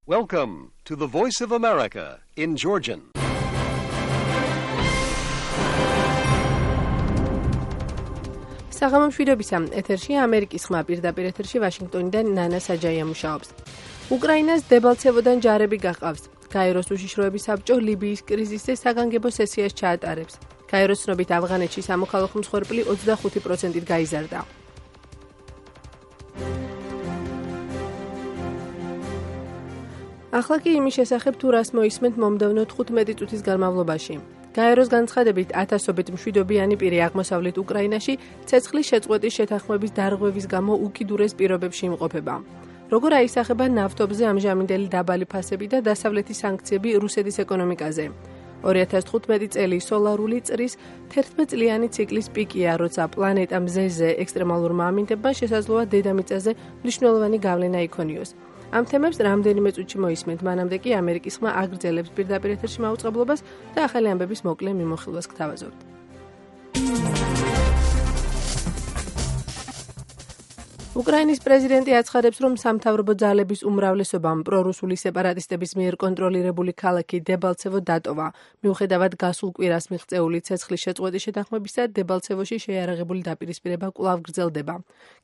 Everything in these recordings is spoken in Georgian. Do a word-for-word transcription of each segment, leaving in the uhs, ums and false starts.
Welcome to the Voice of America in Georgian. საღამომშვიდობისა, ეთერში ამერიკის ხმა პირდაპირ ეთერში ვაშინგტონიდან ნანა საჯაია მუშაობს. უკრაინას დებალცევოდან ჯარები გაყავს. გაეროს უშიშროების საბჭო ლიბიის კრიზისზე საგანგებო სესიას ჩაატარებს. გაეროს ცნობით ავღანეთში სამოქალაქო მსხვერპლი ოცდახუთი პროცენტით გაიზარდა. ახლა კი იმის შესახებ თუ რას მოისმენთ მომდევნო თხუთმეტი წუთის განმავლობაში. გაეროს განცხადებით ათასობით მშვიდობიანი პირი აღმოსავლეთ უკრაინაში ცეცხლის შეწყვეტის შეთანხმების დარღვევის გამო უკიდურეს პირობებში იმყოფება. როგორ აისახება ნავთობზე ამჟამინდელი დაბალი ფასები და დასავლეთის სანქციები რუსეთის ეკონომიკაზე. ორი ათას თხუთმეტი წელი სოლარული წრის თერთმეტწლიანი ციკლის პიკია, როცა პლანეტა მზეზე ექსტრემალურმა ამინდებმა შესაძლოა დედამიწაზე მნიშვნელოვანი გავლენა იქონიოს. ამ თემებს რამდენიმე წუთში მოისმენთ, მანამდე კი ამერიკის ხმა აგრძელებს პირდაპირ ეთერში მაუწყებლობას და ახალი ამბების მოკლე მიმოხილვას გთავაზობთ. უკრაინის პრეზიდენტი აცხადებს, რომ სამთავრობო ძალების უმრავლესობამ პრორუსული სეპარატისტების მიერ კონტროლირებული ქალაქი დებალცევო დატოვა. მიუხედავად გასულ კვირას მიღწეული ცეცხლის შეწყვეტის შეთანხმებისა, დებალცევოში შეიარაღებული დაპირისპირება კვლავ გრძელდება.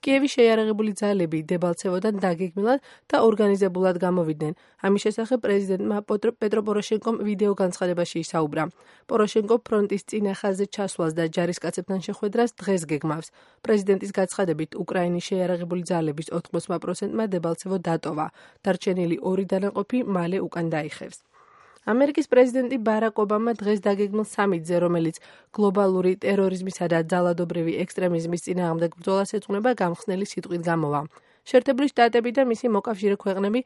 კიევის შეიარაღებული ძალები დებალცევოდან დაგეგმილად და ორგანიზებულად გამოვიდნენ. ამის შესახებ პრეზიდენტმა პეტრო პოროშენკომ ვიდეო განცხადებაში ისაუბრა. პოროშენკო ფრონტის წინა ხაზზე ჩასვლას და ჯარისკაცებთან შეხვედრას დღეს გეგმავს. პრეზიდენტის განცხადებით, უკრაინის შეიარაღებული ძალების ოთხმოცდა პროცენტმა დებალცევო დატოვა. დარჩენილი ორი დანაყოფი მალე უკან დაიხევს. ამერიკის პრეზიდენტი ბარაკ ობამა დღეს დაგეგმილ სამიტზე, რომელიც გლობალური ტერორიზმისა და ძალადობრივი ექსტრემიზმის წინააღმდეგ ბრძოლას ეძღვნება, გამხსნელი სიტყვით გამოვა. შეერთებული შტატები და მისი მოკავშირე ქვეყნები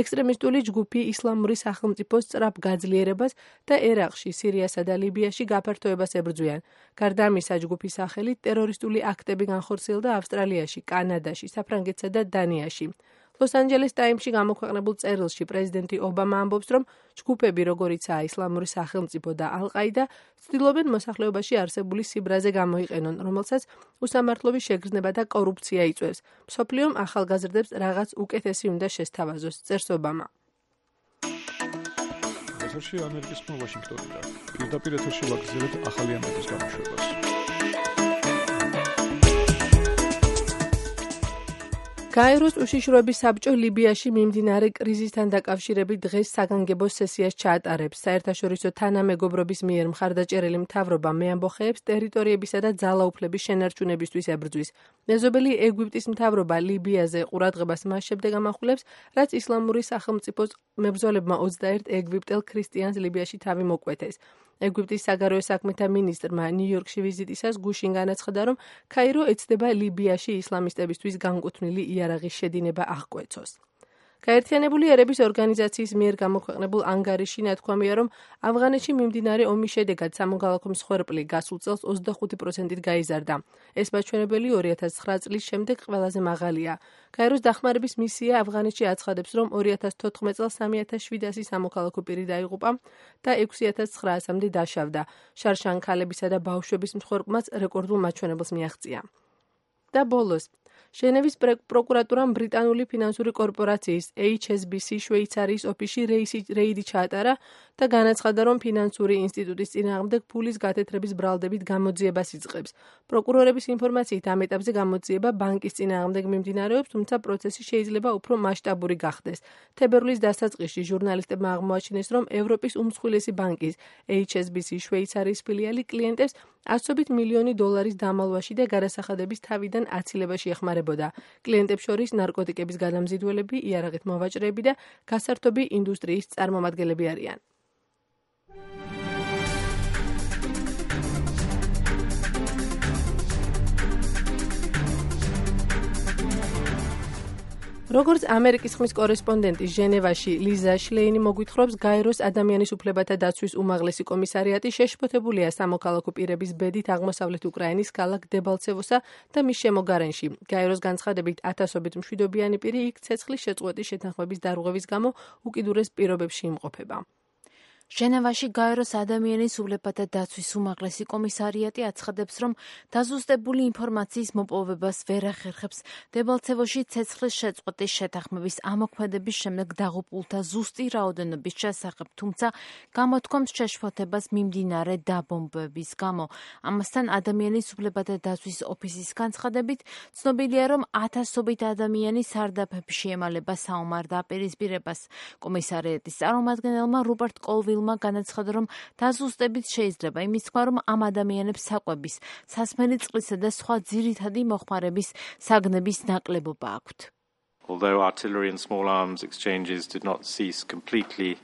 ექსტრემისტული ჯგუფი ისლამური სახელმწიფოს სწრაფ გაძლიერებას და ერაყში, სირიასა და ლიბიაში გაფართოებას ებრძვიან. გარდა ამისა, ჯგუფის სახელით ტერორისტული აქტები განხორციელდა ავსტრალიაში, კანადაში, საფრანგეთსა და დანიაში. ლოს-ანჯელეს ტაიმსში გამოქვეყნებულ წერილში პრეზიდენტი ობამა ამბობს, რომ ჯგუფები, როგორიცაა ისლამური სახელმწიფო და ალ-ყაიდა, ცდილობენ მოსახლეობაში არსებული სიბრაზე გამოიყენონ, რომელსაც უსამართლობის შეგრძნება და კორუფცია იწვევს. მსოფლიომ ახალგაზრდებს რაღაც უკეთესი უნდა შესთავაზოს, წერს ობამა. ეთერში ამერიკის ხმა ვაშინგტონიდან. პირდაპირ ეთერში ვაგრძელებთ ახალი ამბების გამოშვებას. გაეროს უშიშროების საბჭო ლიბიაში მიმდინარე კრიზისთან დაკავშირებით დღეს საგანგებო სესიას ჩაატარებს. საერთაშორისო თანამეგობრობის მიერ მხარდაჭერილი მთავრობა მეამბოხეებს ტერიტორიებისა და ძალაუფლების შენარჩუნებისთვის ებრძვის. მეზობელი ეგვიპტის მთავრობა ლიბიაზე ყურადღებას მას შემდეგ ამახვილებს, რაც ისლამური სახელმწიფოს მებრძოლებმა ოცდაერთ ეგვიპტელ ქრისტიანს ლიბიაში თავი მოკვეთეს. ეგვიპტის საგარეო საქმეთა მინისტრმა ნიუ-იორკში ვიზიტისას გუშინ განაცხადა, რომ ქაირო ეცდება ლიბიაში ისლამისტებისთვის განკუთვნილი იარაღის შედინება აღკვეცოს. გაერთიანებული ერების ორგანიზაციის მიერ გამოქვეყნებულ ანგარიში ნათქვამია, რომ ავღანეთში მიმდინარე ომის შედეგად სამოქალაქო მსხვერპლი გასულ წელს ოცდახუთი პროცენტით გაიზარდა. ეს მაჩვენებელი ორი ათას ცხრა წლის შემდეგ ყველაზე მაღალია. გაეროს დახმარების მისია ავღანეთში აცხადებს, რომ ორი ათას თოთხმეტ წელს სამი ათას შვიდასი სამოქალაქო პირი დაიღუპა და ექვსი ათას ცხრაასამდე დაშავდა. შარშან ქალებისა და ბავშვების მსხვერპლმაც რეკორდულ მაჩვენებელს მიაღწია. და ბოლოს ჟენევის პროკურატურამ ბრიტანული ფინანსური კორპორაციის ეიჩ ეს ბი სი შვეიცარიის ოფისში რეიდი ჩაატარა და განაცხადა, რომ ფინანსური ინსტიტუტის წინააღმდეგ ფულის გათეთრების ბრალდებით გამოძიებას იწყებს. პროკურორების ინფორმაციით ამ ეტაპზე გამოძიება ბანკის წინააღმდეგ მიმდინარეობს, თუმცა პროცესი შეიძლება უფრო მასშტაბური გახდეს. თებერვლის დასაწყისში ჟურნალისტებმა აღმოაჩინეს, რომ ევროპის უმსხვილესი ბანკის ეიჩ ეს ბი სი შვეიცარიის ფილიალი კლიენტებს ასობით მილიონი დოლარის დამალვაში და გადასახადების თავიდან აცილებაში ეხმარებოდა. კლიენტებს შორის ნარკოტიკების გადამზიდველები, იარაღით მოვაჭრეები და გასართობი ინდუსტრიის წარმომადგენლები არიან. როგორც ამერიკის ხმის კორესპონდენტი ჟენევაში ლიზა შლეინი მოგვითხრობს, გაეროს ადამიანის უფლებათა დაცვის უმაღლესი კომისარიატი შეშფოთებულია სამოქალაქო პირების ბედით აღმოსავლეთ უკრაინის ქალაქ დებალცევოსა და მის შემოგარენში. გაეროს განცხადებით, ათასობით მშვიდობიანი პირი იქ ცეცხლის შეწყვეტის შეთანხმების დარღვევის გამო უკიდურეს პირობებში იმყოფება. ჟენევაში გაეროს ადამიანის უფლებათა დაცვის უმაღლესი კომისარიატი აცხადებს, რომ დაზუსტებული ინფორმაციის მოპოვებას ვერ ახერხებს დებალცევოში ცეცხლის შეწყვეტის შეთანხმების ამოქმედების შემდეგ დაღუპულთა ზუსტი რაოდენობის შესახებ, თუმცა გამოთქვამს შეშფოთებას მიმდინარე დაბომბვების გამო. ამასთან ადამიანის უფლებათა დაცვის ოფისის განცხადებით, ცნობილია, რომ ათასობით ადამიანი სარდაფებში შეემალება საომარ დაპირისპირებას. კომისარიატის წარმომადგენელმა რუპერტ კოლვილმა განაცხადა, რომ დაზუსტებით შეიძლება იმის თქმა, რომ ამ ადამიანებს საკვების, სასმელი წყლისა და სხვა ძირითადი მოხმარების საგნების ნაკლებობა აქვთ. Although artillery and small arms exchanges did not cease completely,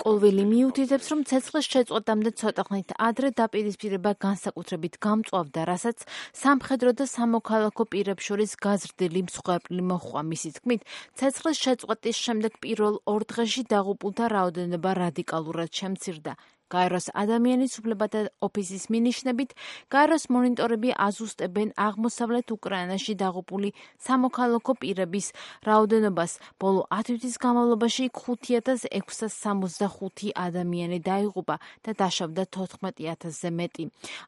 კოლვილი მიუთითებს, რომ ცეცხლის შეწყვეტამდე ცოტა ხნით ადრე დაპირისპირება განსაკუთრებით გამწვავდა, რასაც სამხედრო და სამოქალაქო პირებს შორის გაზრდილი მსხვერპლი მოჰყვა. მისი თქმით, ცეცხლის შეწყვეტის შემდეგ პირველ ორ დღეში დაღუპულთა რაოდენობა რადიკალურად შემცირდა. გაეროს ადამიანის უფლებათა ოფისის მინიშნებით, გაეროს მონიტორები აზუსტებენ აღმოსავლეთ უკრაინაში დაღუპული სამოქალაქო პირების რაოდენობას. ბოლო ათი თვის განმავლობაში ხუთი ათას ექვსსა სამოცდახუთი ადამიანი დაიღუპა და დაშავდა თოთხმეტი ათასზე მეტი.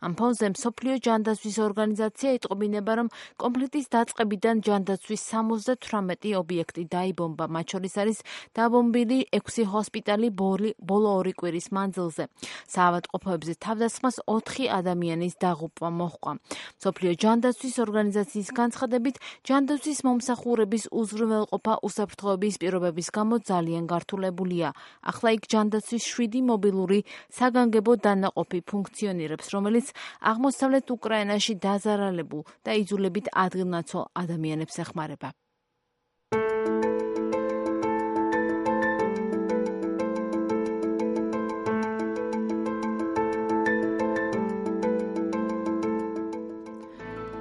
ამ ფონზე მსოფლიო ჯანდაცვის ორგანიზაცია იტყობინება, რომ კონფლიქტის დაწყებიდან ჯანდაცვის სამოცდათვრამეტი ობიექტი დაიბომბა, მათ შორის არის დაბომბილი ექვსი ჰოსპიტალი ბოლო ორი კვირის მანძილზე. საავადმყოფოებზე თავდასხმას ოთხი ადამიანის დაღუპვა მოჰყვა. მსოფლიო ჯანდაცვის ორგანიზაციის განცხადებით, ჯანდაცვის მომსახურების უზრუნველყოფა უსაფრთხოების პირობების გამო ძალიან გართულებულია. ახლა იქ ჯანდაცვის შვიდი მობილური საგანგებო დანაყოფი ფუნქციონირებს, რომელიც აღმოსავლეთ უკრაინაში დაზარალებულ და იძულებით ადგილნაცვალ ადამიანებს ეხმარება.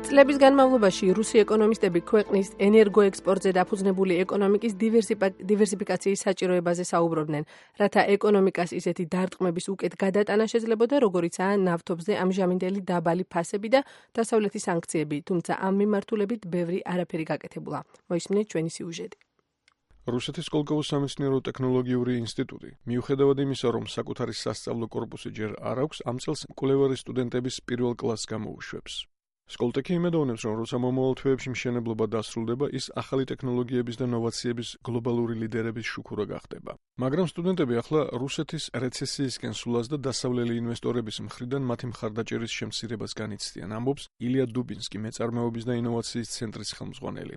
წლების განმავლობაში რუსი ეკონომისტები ქვეყნის ენერგოექსპორტზე დაფუძნებული ეკონომიკის დივერსიფიკაციის საჭიროებაზე საუბრობდნენ, რათა ეკონომიკას ისეთი დარტყმების უკეთ გადატანა შეძლებოდა, როგორიცაა ნავთობზე ამჟამინდელი დაბალი ფასები და დასავლეთის სანქციები, თუმცა ამ მიმართულებით ბევრი არაფერი გაკეთებულა. მოისმინეთ ჩვენი სიუჟეტი. რუსეთის სკოლკოვოს სამეცნიერო ტექნოლოგიური ინსტიტუტი, მიუხედავად იმისა, რომ საკუთარი სასწავლო კორპუსი ჯერ არ აქვს, ამ წელს მკვლევარი სტუდენტების პირველ კლასს გამოუშვებს. სკოლტექი იმედოვნებს, რომ როცა მომავალ თვეებში მშენებლობა დასრულდება, ის ახალი ტექნოლოგიების და ნოვაციების გლობალური ლიდერების შუქურა გახდება. მაგრამ სტუდენტები ახლა რუსეთის რეცესიისკენ სულას და დასავლელი ინვესტორების მხრიდან მათი მხარდაჭერის შემცირებას განიცდიან, ამბობს ილია დუბინსკი, მეწარმეობის და ინოვაციის ცენტრის ხელმძღვანელი.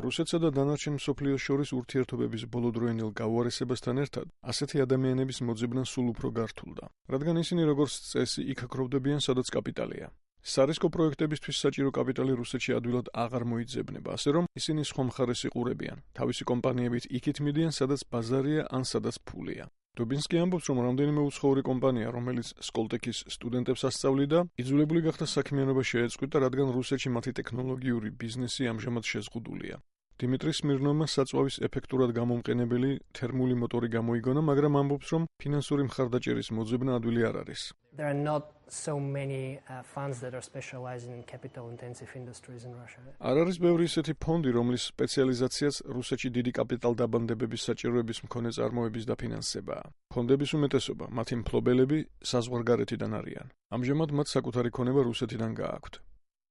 რუსეთსა და დანარჩენ მსოფლიოს შორის ურთიერთობების ბოლოდროინელ გაუარესებასთან ერთად, ასეთი ადამიანების მოძებნა სულ უფრო გართულდა, რადგან ისინი როგორც წესი იქ აქროვდებიან, სადაც კაპიტალია. სარისკო პროექტებისთვის საჭირო კაპიტალი რუსეთში ადვილად აღარ მოიძებნება, ასე რომ ისინი სხვა მხარეს იყურებიან, თავისი კომპანიებით იქით მიდიან, სადაც ბაზარია ან სადაც ფულია. დუბინსკი ამბობს, რომ რამდენიმე უცხოური კომპანია, რომელიც სკოლტექის სტუდენტებს ასწავლიდა, იძულებული გახდა საქმიანობა შეეწყვიტა, რადგან რუსეთში მათი ტექნოლოგიური ბიზნესი ამჟამად შეზღუდულია. დიმიტრი სმირნოვმა საწვავის ეფექტურად გამომყენებელი თერმული მოტორი გამოიგონა, მაგრამ ამბობს, რომ ფინანსური მხარდაჭერის მოძებნა ადვილი არ არის. There are not so many uh, funds that are specializing in capital intensive industries in Russia. არ არის ბევრი ისეთი ფონდი, რომლის სპეციალიზაციაც რუსეთში დიდი კაპიტალდაბანდებების საჭიროების მქონე წარმოების დაფინანსებაა. ფონდების უმეტესობა, მათი მფლობელები საზღვარგარეთიდან არიან. ამჟამად მათ საკუთარი ქონება რუსეთიდან გააქვთ.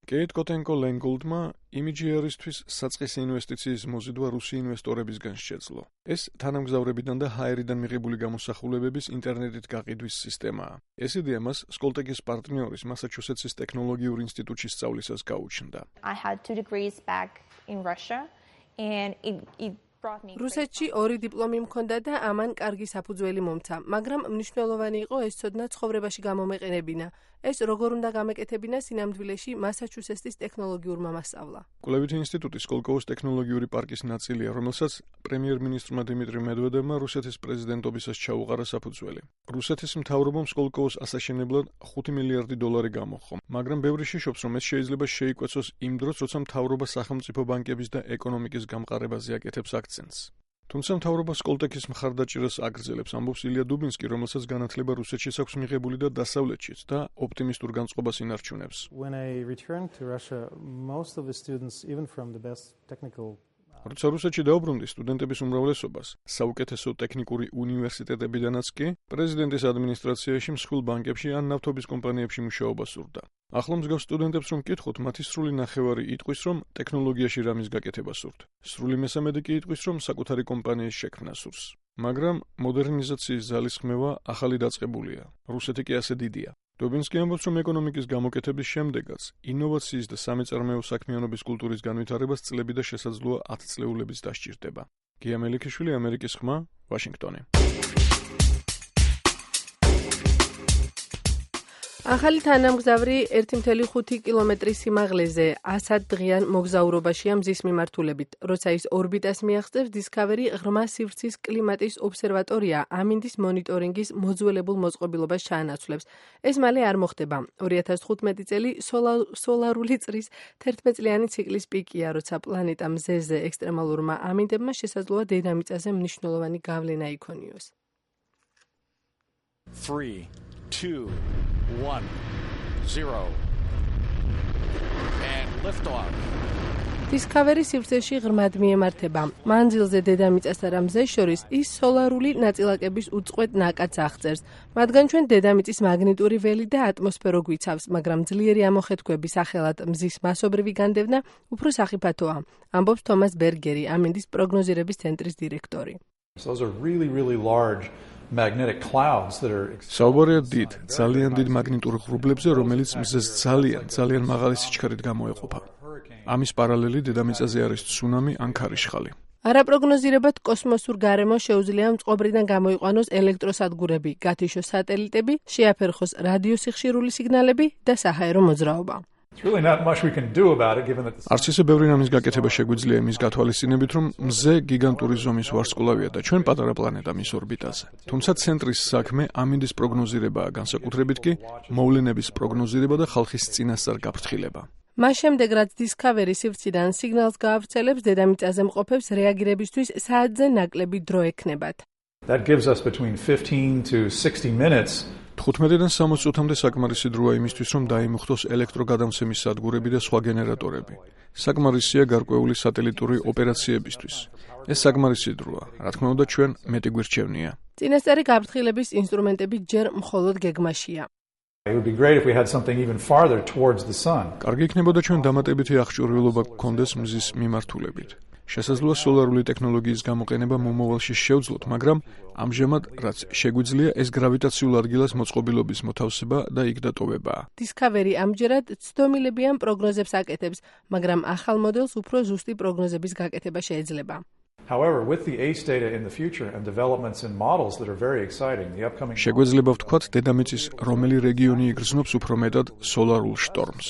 კეით კოტენკო-ლენგოლდმა იმიჯიერისთვის საწყისი ინვესტიციის მოზიდვა რუსი ინვესტორებისგან შეძლო. ეს თანამგზავრებიდან და ჰაერიდან მიღებული გამოსახულებების ინტერნეტით გაყიდვის სისტემაა. ეს იდეა მას სკოლტექის პარტნიორის მასაჩუსეტსის ტექნოლოგიურ ინსტიტუტში სწავლისას გაუჩნდა. I had two degrees back in Russia and it, it რუსეთში ორი დიპლომი მქონდა და ამან კარგი საფუძველი მომცა, მაგრამ მნიშვნელოვანი იყო ეს ცოდნა ცხოვრებაში გამომეყენებინა. ეს როგორ უნდა გამეკეთებინა სინამდვილეში მასაჩუსეტსის ტექნოლოგიურმა მასწავლა. კვლევითი ინსტიტუტი სკოლკოვოს ტექნოლოგიური პარკის ნაწილია, რომელსაც პრემიერ-მინისტრმა დიმიტრი მედვედევმა რუსეთის პრეზიდენტობისას ჩაუყარა საფუძველი. რუსეთის მთავრობამ სკოლკოვოს ასაშენებლად ხუთი მილიარდი დოლარი გამოჰყო, მაგრამ ბევრი შიშობს, რომ ეს შეიძლება შეიკვეცოს იმ დროს, როცა მთავრობა სახელმწიფო ბანკების და ეკონომიკის გამყარებაზე აკეთებს აქცენტს. თუმცა მთავრობა სკოლტექის მხარდაჭერას აგრძელებს, ამბობს ილია დუბინსკი, რომელსაც განათლება რუსეთში აქვს მიღებული და დასავლეთშიც და ოპტიმისტურ განწყობას ინარჩუნებს. როცა რუსეთში დაუბრუნდი სტუდენტების უმრავლესობას, საუკეთესო ტექნიკური უნივერსიტეტებიდანაც კი პრეზიდენტის ადმინისტრაციაში მსხვილ ბანკებში ან ნავთობის კომპანიებში მუშაობა სურდა. ახლა მსგავს სტუდენტებს რომ კითხოთ, მათი სრული ნახევარი იტყვის, რომ ტექნოლოგიაში რამის გაკეთება სურთ. სრული მესამედი კი იტყვის, რომ საკუთარი კომპანიის შექმნა სურს. მაგრამ მოდერნიზაციის ძალისხმევა ახალი დაწყებულია. რუსეთი კი ასე დიდია. დობინსკი ამბობს, რომ ეკონომიკის გამოკეთების შემდეგაც ინოვაციის და სამეწარმეო საქმიანობის კულტურის განვითარებას წლები და შესაძლოა ათწლეულების დასჭირდება. გია მელიქიშვილი, ამერიკის ხმა, ვაშინგტონი. ახალი თანამგზავრი ერთი კoma ხუთი კილომეტრის სიმაღლეზე ასად დღიან მოგზაურობაშია მზის მიმართულებით. როცა ის ორბიტას მიაღწევს, Discovery ღრმა სივრცის კლიმატის ობსერვატორია ამინდის მონიტორინგის მოძველებულ მოწყობილობას ჩაანაცვლებს. ეს მალე არ მოხდება. ორი ათას თხუთმეტი წელი სოლარული წრის თერთმეტწლიანი ციკლის პიკია, როცა პლანეტა მზეზე ექსტრემალურმა ამინდებმა შესაძლოა დედამიწაზე მნიშვნელოვანი გავლენა იქონიოს. three, two, one, zero. And liftoff. Discovery სივრცეში ღრმად მიემართება. მანძილზე დედამიწასთან და მზეს შორის ის სოლარული ნაწილაკების უწყვეტ ნაკადს აღწერს. მათგან ჩვენ დედამიწის მაგნიტური ველი და ატმოსფერო გვიცავს, მაგრამ ძლიერი ამოხეთქვების სახელად მზის მასობრივი განდევნა უფრო სახიფათოა. ამბობს თომას ბერგერი, ამინდის პროგნოზირების ცენტრის დირექტორი. Those are really really large magnetic clouds that are საუბარია დიდ, ძალიან დიდ მაგნიტურ ღრუბლებზე, რომელიც მზეს ძალიან, ძალიან მაღალი სიჩქარით გამოეყოფა. ამის პარალელი დედამიწაზე არის ცუნამი ან ქარიშხალი. არაპროგნოზირებად კოსმოსურ გარემოს შეუძლია მწყობრიდან გამოიყვანოს ელექტროსადგურები, გათიშოს სატელიტები, შეაფერხოს რადიოსიხშირული სიგნალები და საჰაერო მოძრაობა. არც ისე ბევრი რამის გაკეთება შეგვიძლია იმის გათვალისწინებით, რომ მზე გიგანტური ზომის ვარსკვლავია და ჩვენ პატარა პლანეტა მის ორბიტაზე. თუმცა ცენტრის საქმე ამინდის პროგნოზირებაა, განსაკუთრებით კი მოვლენების პროგნოზირება და ხალხის წინასწარ გაფრთხილება. მას შემდეგ, რაც Discovery სივრციდან სიგნალს გაავრცელებს, დედამიწაზე მყოფებს რეაგირებისთვის საათზე ნაკლები დრო ექნებათ. That gives us between fifteen to sixty minutes. თხუთმეტიდან სამოცი წუთამდე საკმარისი დროა იმისთვის, რომ დაიმუხტოს ელექტროგადამცემის სადგურები და სხვა გენერატორები. საკმარისია გარკვეული სატელიტური ოპერაციებისთვის. ეს საკმარისი დროა, რა თქმა უნდა, ჩვენ მეტი გვირჩევნია. წინასწარი გაფრთხილების ინსტრუმენტები ჯერ მხოლოდ გეგმაშია. It would be great if we had something even farther towards the sun. კარგი იქნებოდა ჩვენ დამატებითი აღჭურვილობა გქონდეს მზის მიმართულებით. შესაძლოა სოლარული ტექნოლოგიის გამოყენება მომავალში შევძლოთ, მაგრამ ამჟამად რაც შეგვიძლია ეს გრავიტაციულ ადგილას მოწყობილობის მოთავსება და იქ დატოვებაა. Discovery ამჯერად ცდომილებიან პროგნოზებს აკეთებს, მაგრამ ახალ მოდელს უფრო ზუსტი პროგნოზების გაკეთება შეეძლება. However, with the A C E data in the future and developments in models that are very exciting, the upcoming შეგვეძლება ვთქვათ, დედამიწის რომელი რეგიონი იგრძნობს უფრო მეტად სოლარულ შტორმს.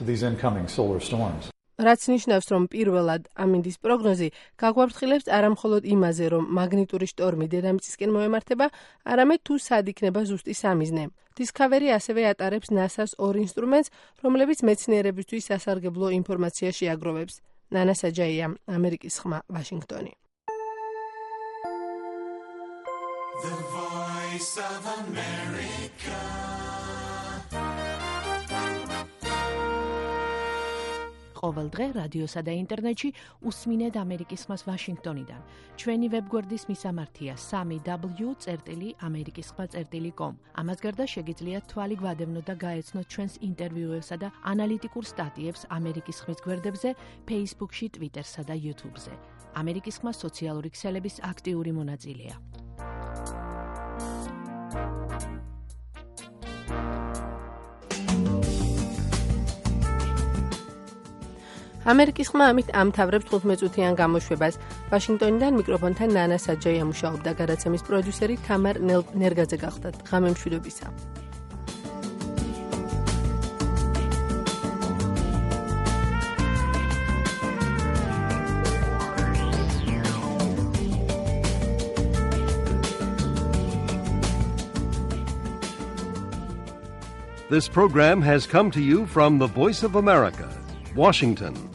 To these incoming solar storms. რაც ნიშნავს, რომ პირველად ამინდის პროგნოზი გაგვაფრთხილებს არამხოლოდ იმაზე, რომ მაგნიტური შტორმი დედამიწისკენ მოემართება, არამედ თუ სად იქნება ზუსტი სამიზნე. Discovery ასევე ატარებს ნასას ორ ინსტრუმენტს, რომლებიც მეცნიერებისთვის სასარგებლო ინფორმაცია შეაგროვებს. ნანა საჯაია, ამერიკის ხმა, ვაშინგტონი. The Voice of America. ყოველ დღე რადიოსა და ინტერნეტში უსმინეთ ამერიკის ხმას ვაშინგტონიდან. ჩვენი ვებგვერდის მისამართია სამი დაბლიუ წერტილი ამერიკის ხმა წერტილი კომ. ამას გარდა შეგიძლიათ თვალი გვადევნოთ და გაეცნოთ ჩვენს ინტერვიუებსა და ანალიტიკურ სტატიებს ამერიკის ხმის გვერდებზე, Facebook-ში, Twitter-სა და YouTube-ზე. ამერიკის ხმა სოციალური ქსელების აქტიური მონაწილეა. ამერიკის ხმა ამით ამთავრებს თხუთმეტ-წუთიან გამოშვებას. ვაშინგტონიდან მიკროფონთან ნანა საჯაია მუშაობდა, გადაცემის პროდიუსერი თამარ ნერგაძე გახლდათ. ღამე მშვიდობისა. This program has come to you from the Voice of America, Washington.